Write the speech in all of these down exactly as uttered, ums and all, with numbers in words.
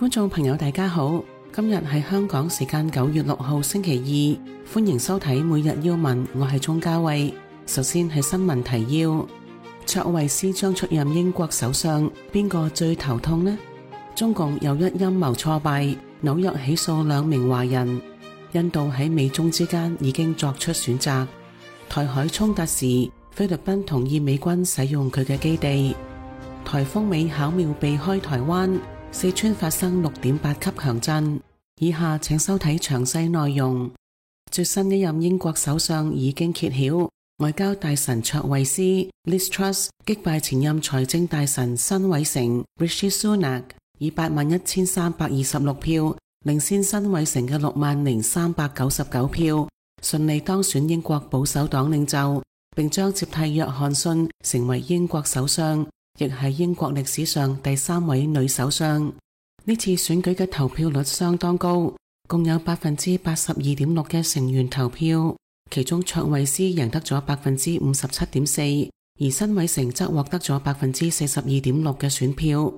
觀眾朋友大家好，今日係香港時間九月六號星期二，歡迎收睇每日要聞，我係鍾嘉慧。首先係新聞提要：卓慧思將出任英國首相，邊個最頭痛呢？中共又一陰謀挫敗，紐約起訴兩名華人。印度喺美中之間已經作出選擇。台海衝突時，菲律賓同意美軍使用佢嘅基地。颱風尾巧妙避開台灣，四川發生六點八級強震。以下請收睇詳細內容。最新一任英國首相已經揭曉，外交大臣卓慧思 Liz Truss 擊敗前任財政大臣辛偉誠 Rishi Sunak， 以八萬一千三百二十六票領先辛偉誠嘅六萬零三百九十九票，順利當選英國保守黨領袖，並將接替約翰遜成為英國首相，亦係英國歷史上第三位女首相。呢次選舉嘅投票率相當高，共有百分之八十二點六嘅成員投票，其中卓慧思贏得咗百分之五十七點四，而辛偉誠則獲得咗百分之四十二點六嘅選票。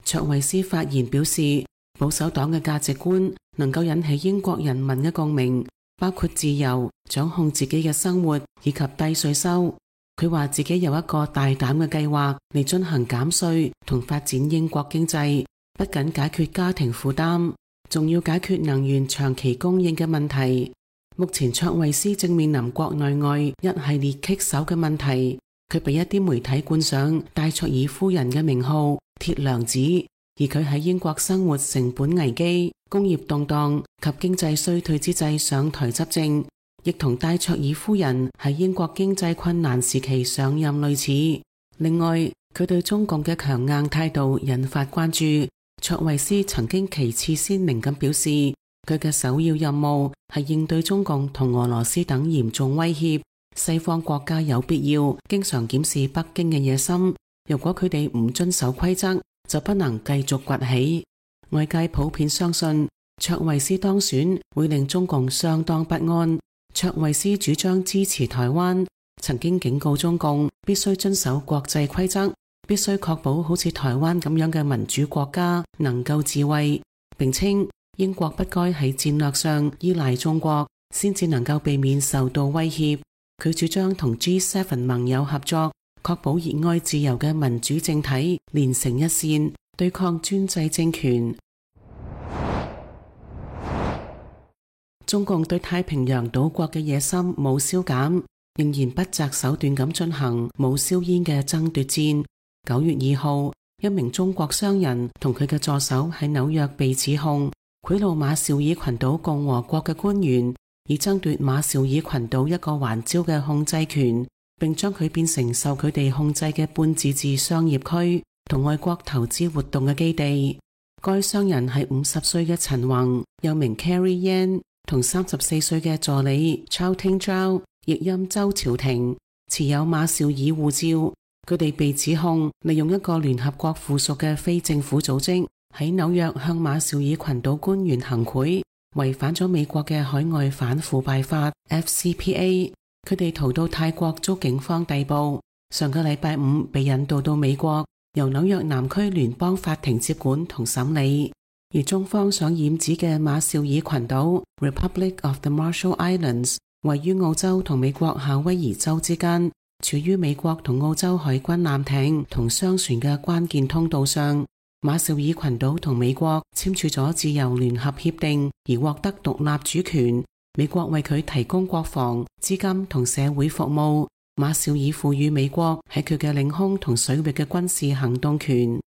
卓慧思發言表示，保守黨嘅價值觀能夠引起英國人民嘅共鳴，包括自由、掌控自己嘅生活以及低稅收。佢話自己有一個大膽嘅計劃嚟進行減稅同發展英國經濟，不僅解決家庭負擔，仲要解決能源長期供應嘅問題。目前卓慧思正面臨國內外一系列棘手嘅問題，佢被一啲媒體冠上戴卓爾夫人嘅名號鐵娘子，而佢喺英國生活成本危機、工業動盪及經濟衰退之際上台執政，亦同戴卓爾夫人喺英國經濟困難時期上任類似。另外，佢對中共嘅強硬態度引發關注。卓慧思曾經旗幟鮮明咁表示，佢嘅首要任務係應對中共同俄羅斯等嚴重威脅。西方國家有必要經常檢視北京嘅野心，如果佢哋唔遵守規則，就不能繼續崛起。外界普遍相信卓慧思當選會令中共相當不安。卓慧思主張支持台灣，曾經警告中共必須遵守國際規則，必須確保好似台灣咁樣嘅民主國家能夠自衛，並稱英國不該喺戰略上依賴中國，先至能夠避免受到威脅。佢主張同 G 七 盟友合作，確保熱愛自由嘅民主政體連成一線，對抗專制政權。中共對太平洋島國嘅野心冇消減，仍然不擇手段咁進行冇硝煙嘅爭奪戰。九月二號，一名中國商人同佢嘅助手喺紐約被指控賄賂馬紹爾群島共和國嘅官員，以爭奪馬紹爾群島一個環礁嘅控制權，並將佢變成受佢哋控制嘅半自治商業區同外國投資活動嘅基地。該商人係五十歲嘅陳宏，又名 Carrie Yan， 同三十四歲嘅助理 Chow Ting Zhao， 譯音周朝廷，持有馬紹爾護照。佢哋被指控利用一個聯合國附屬嘅非政府組織喺紐約向馬紹爾群島官員行賄，違反咗美國嘅海外反腐敗法 F C P A。 佢哋逃到泰國遭警方逮捕，上個禮拜五被引渡到美國，由紐約南區聯邦法庭接管同審理。而中方想染指嘅馬紹爾群島 Republic of the Marshall Islands 位於澳洲同美國夏威夷州之間，處於美國同澳洲海軍艦艇同商船嘅關鍵通道上。馬紹爾群島同美國簽署咗自由聯合協定，而獲得獨立主權。美國為佢提供國防、資金同社會服務。馬紹爾賦予美國喺佢嘅領空同水域嘅軍事行動權。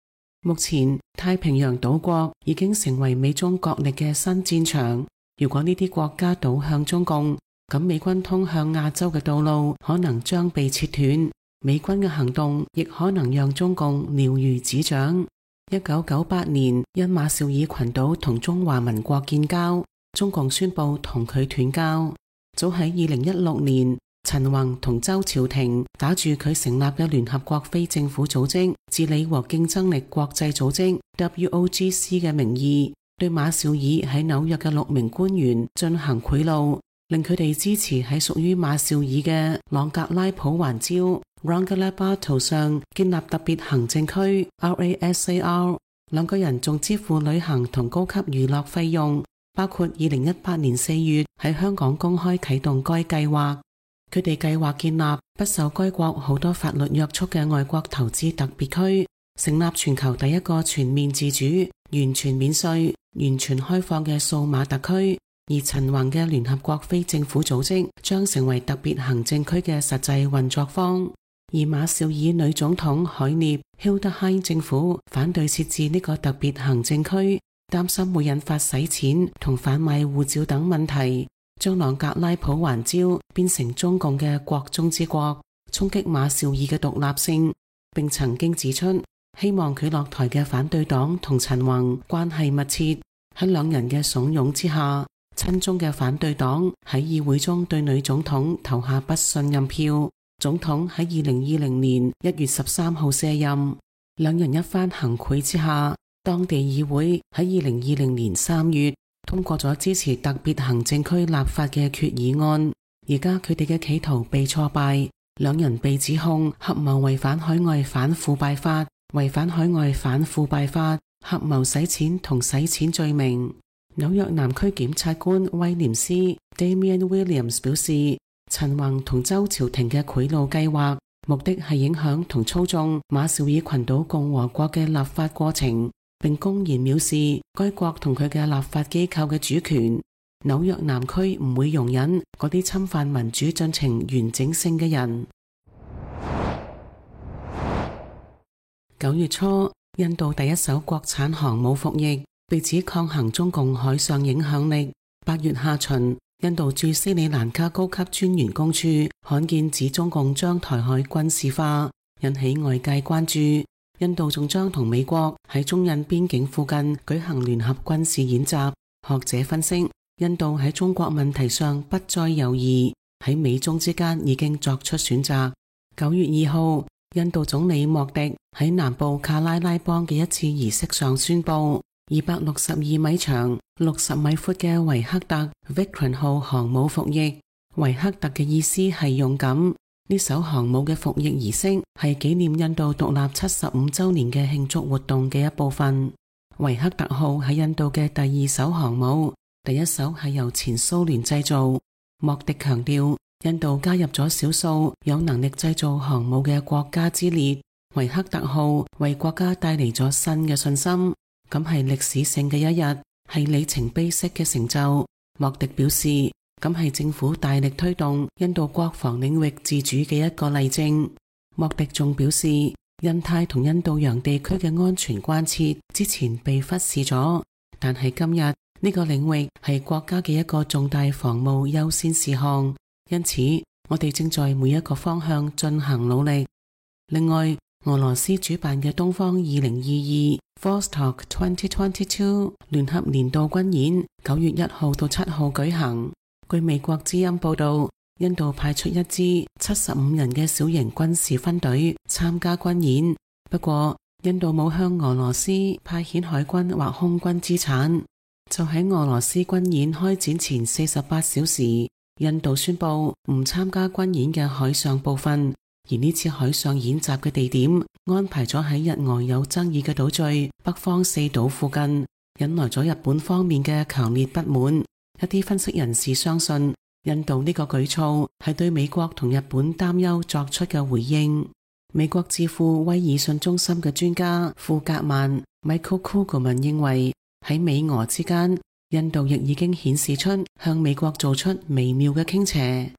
目前太平洋島國已經成為美中角力嘅新戰場。如果呢啲國家倒向中共，咁美軍通向亞洲嘅道路可能將被切斷，美軍嘅行動亦可能讓中共了如指掌。一九九八年，因馬紹爾群島同中華民國建交，中共宣布同佢斷交。早喺二零一六年，陳宏同周朝廷打住佢成立嘅聯合國非政府組織治理和競爭力國際組織 W O G C 嘅名義，對馬紹爾喺紐約嘅六名官員進行賄賂，令佢哋支持喺屬於馬紹爾嘅朗格拉普環礁 Rangalabato 上建立特別行政區 R A S A R，兩個人仲支付旅行同高級娛樂費用，包括二零一八年四月喺香港公開啟動該計劃。佢哋計劃建立不受該國好多法律約束嘅外國投資特別區，成立全球第一個全面自主、完全免稅、完全開放嘅數碼特區。而陳宏嘅聯合國非政府組織將成為特別行政區嘅實際運作方。而馬紹爾女總統海涅 Hildesheim 政府反對設置呢個特別行政區，擔心會引發洗錢同販賣護照等問題，將朗格拉普環礁變成中共嘅國中之國，衝擊馬紹爾嘅獨立性。並曾經指出，希望佢落台嘅反對黨同陳宏關係密切。喺兩人嘅慫恿之下，親中嘅反對黨喺議會中對女總統投下不信任票。總統喺二零二零年一月十三號卸任。兩人一番行賄之下，當地議會喺二零二零年三月通過咗支持特別行政區立法嘅決議案。而家佢哋嘅企圖被挫敗，兩人被指控合謀違反海外反腐敗法、違反海外反腐敗法、合謀洗錢同洗錢罪名。紐約南區檢察官威廉斯 Damian Williams 表示，陳宏同周朝廷嘅賄賂計劃，目的係影響同操縱馬紹爾群島共和國嘅立法過程，並公然藐視該國同佢嘅立法機構嘅主權。紐約南區唔會容忍嗰啲侵犯民主進程完整性嘅人。九月初，印度第一艘國產航母服役，被指抗衡中共海上影響力。八月下旬，印度駐斯里蘭卡高級專員公署罕見指中共將台海軍事化，引起外界關注。印度仲將同美國喺中印邊境附近舉行聯合軍事演習。學者分析，印度喺中國問題上不再猶豫，喺美中之間已經作出選擇。九月二號，印度總理莫迪喺南部卡拉拉邦嘅一次儀式上宣布，二百六十二米長、六十米闊嘅維克特 Vikram 號航母服役。維克特嘅意思係勇敢。呢艘航母嘅服役儀式係紀念印度獨立七十五周年嘅慶祝活動嘅一部分。維克特號係印度嘅第二艘航母，第一艘係由前蘇聯製造。莫迪強調，印度加入咗少數有能力製造航母嘅國家之列。維克特號為國家帶嚟咗新嘅信心，咁係歷史性嘅一日，係里程碑式嘅成就。莫迪表示，咁係政府大力推動印度國防領域自主嘅一個例證。莫迪仲表示，印太同印度洋地區嘅安全關切之前被忽視咗，但係今日呢個領域係國家嘅一個重大防務優先事項，因此我哋正在每一個方向進行努力。另外，俄羅斯主辦嘅東方二零二二 Vostok 二零二二聯合年度軍演九月一號到七號舉行。據美國之音報道，印度派出一支七十五人嘅小型軍事分隊參加軍演，不過印度冇向俄羅斯派遣海軍或空軍資產。就喺俄羅斯軍演開展前四十八小時，印度宣布唔參加軍演嘅海上部分，而呢次海上演習嘅地點安排咗喺日俄有爭議嘅島嶼北方四島附近，引來咗日本方面嘅強烈不滿。一啲分析人士相信，印度呢個舉措係對美國同日本擔憂作出嘅回應。美國智庫威爾遜中心嘅專家庫格曼 Michael Kugelman 認為，喺美俄之間，印度亦已經顯示出向美國做出微妙嘅傾斜。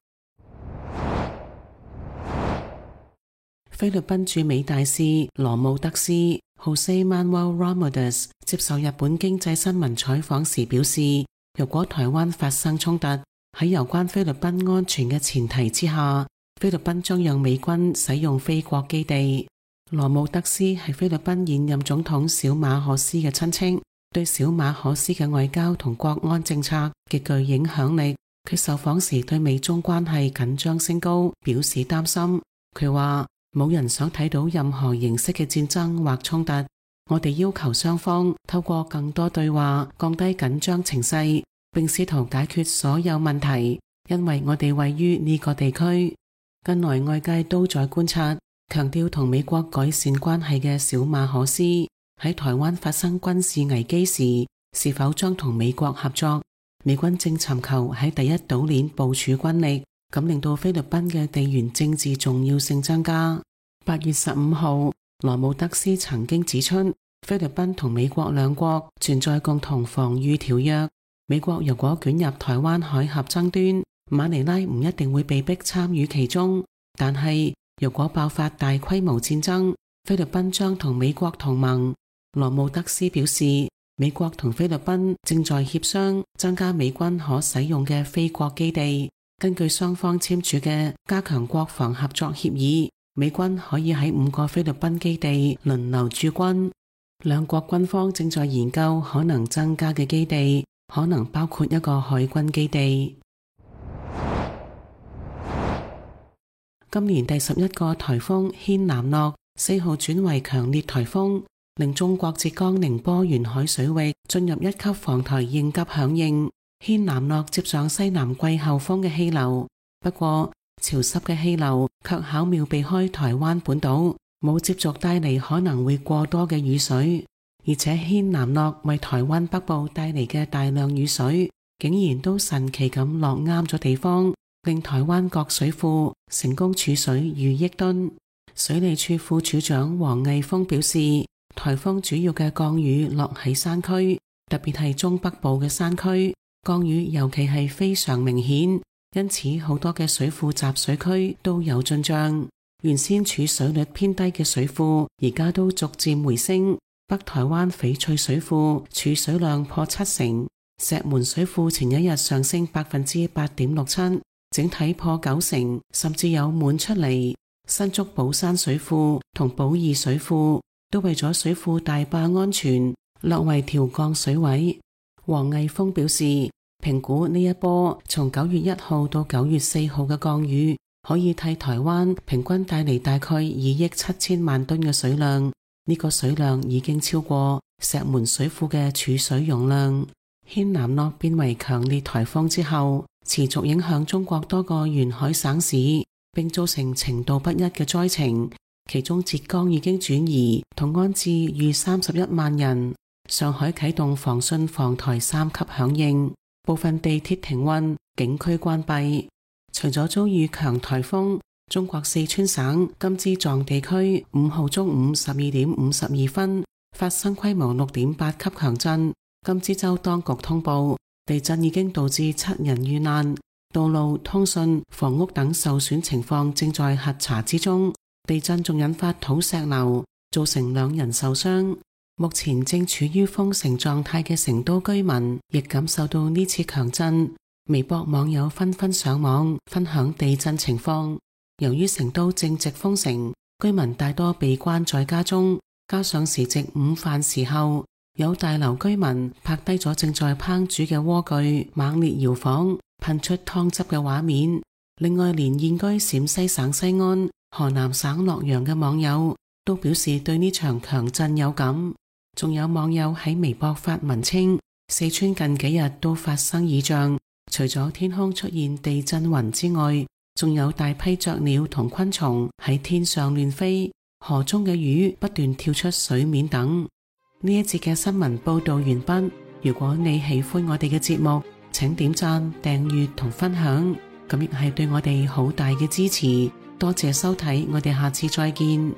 菲律賓駐美大使羅姆德斯 Jose Manuel Ramos 接受日本經濟新聞採訪時表示，如果台灣發生衝突，喺有關菲律賓安全嘅前提之下，菲律賓將讓美軍使用菲國基地。羅姆德斯係菲律賓現任總統小馬可斯嘅親戚，對小馬可斯嘅外交同國安政策極具影響力。佢受訪時對美中關係緊張升高表示擔心。佢話，冇人想睇到任何形式嘅戰爭或衝突。我哋要求雙方透過更多對話降低緊張情勢，並試圖解決所有問題，因為我哋位於呢個地區。近來外界都在觀察，強調同美國改善關係嘅小馬可斯喺台灣發生軍事危機時，是否將同美國合作？美軍正尋求喺第一島鏈部署軍力，咁令到菲律賓嘅地緣政治重要性增加。八月十五號，羅姆德斯曾經指出，菲律賓同美國兩國存在共同防禦條約。美國如果捲入台灣海峽爭端，馬尼拉唔一定會被迫參與其中。但係如果爆發大規模戰爭，菲律賓將同美國同盟。羅姆德斯表示，美國同菲律賓正在協商增加美軍可使用嘅菲國基地。根據雙方簽署嘅加強國防合作協議，美軍可以喺五個菲律賓基地輪流駐軍。兩國軍方正在研究可能增加嘅基地，可能包括一個海軍基地。今年第十一個颱風軒嵐諾四號轉為強烈颱風，令中國浙江寧波沿海水域進入一級防台應急響應。軒嵐諾接上西南季候風嘅氣流，不過潮濕嘅氣流卻巧妙避開台灣本島，冇接續帶嚟可能會過多嘅雨水。而且軒嵐諾為台灣北部帶嚟嘅大量雨水，竟然都神奇咁落啱咗地方，令台灣各水庫成功儲水逾億噸。水利處副處長黃毅峰表示，颱風主要嘅降雨落喺山區，特別係中北部嘅山區，降雨尤其係非常明顯，因此好多嘅水庫集水區都有進賬。原先儲水率偏低嘅水庫，而家都逐漸回升。北台灣翡翠水庫儲水量破七成，石門水庫前一日上升百分之八點六七，整體破九成，甚至有滿出嚟。新竹寶山水庫同寶二水庫都為咗水庫大壩安全，略為調降水位。黃毅峰表示，評估呢一波從九月一號到九月四號嘅降雨，可以替台灣平均帶嚟大概二億七千萬噸嘅水量。呢個水量已經超過石門水庫嘅儲水容量。軒嵐諾變為強烈颱風之後，持續影響中國多個沿海省市，並造成程度不一嘅災情。其中浙江已經轉移同安置逾三十一萬人，上海啟動防汛防台三級響應，部分地鐵停運，景區關閉。除咗遭遇強颱風，中國四川省甘孜藏地區五號中午十二點五十二分發生規模六點八級強震。甘孜州當局通報，地震已經導致七人遇難，道路、通訊、房屋等受損情況正在核查之中。地震仲引發土石流，造成兩人受傷。目前正處於封城狀態嘅成都居民亦感受到呢次強震。微博網友紛紛上網分享地震情況。由於成都正值封城，居民大多被關在家中，加上時值午飯時候，有大樓居民拍低咗正在烹煮嘅鍋具猛烈搖晃，噴出湯汁嘅畫面。另外，連現居陝西省西安、河南省洛陽嘅網友都表示對呢場強震有感。仲有網友喺微博發文稱，四川近幾日都發生異象，除咗天空出現地震雲之外，仲有大批雀鳥同昆蟲喺天上亂飛，河中嘅魚不斷跳出水面等。呢一節嘅新聞報道完畢。如果你喜歡我哋嘅節目，請點讚、訂閱同分享，咁亦係對我哋好大嘅支持。多謝收睇，我哋下次再見。